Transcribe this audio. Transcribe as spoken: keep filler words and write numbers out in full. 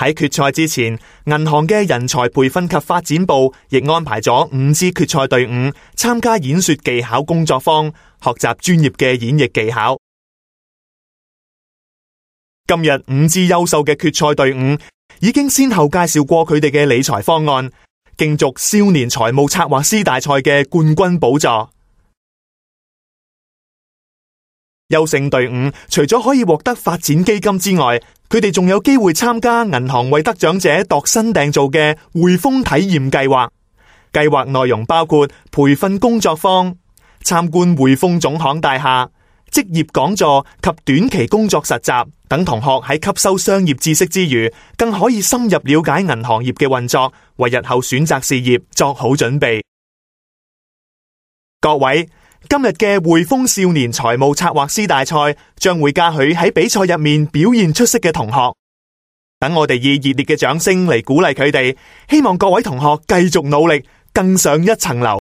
喺決賽之前，銀行嘅人才培訓及發展部亦安排咗五支決賽隊伍參加演說技巧工作坊，學習專業嘅演繹技巧。今日五支優秀嘅決賽隊伍已經先後介紹過佢哋嘅理財方案，競逐少年財務策劃師大賽嘅冠軍寶座。優勝隊伍除咗可以獲得發展基金之外，佢哋仲有機會參加銀行為得獎者度身訂造嘅匯豐體驗計劃。計劃內容包括培訓工作坊、參觀匯豐總行大廈、職業講座及短期工作實習等。同學喺吸收商業知識之餘，更可以深入了解銀行業嘅運作，為日後選擇事業作好準備。各位，今日嘅匯豐少年財務策劃師大賽將會嘉許喺比賽入面表現出色嘅同學，等我哋以熱烈嘅掌聲嚟鼓勵佢哋，希望各位同學繼續努力，更上一層樓。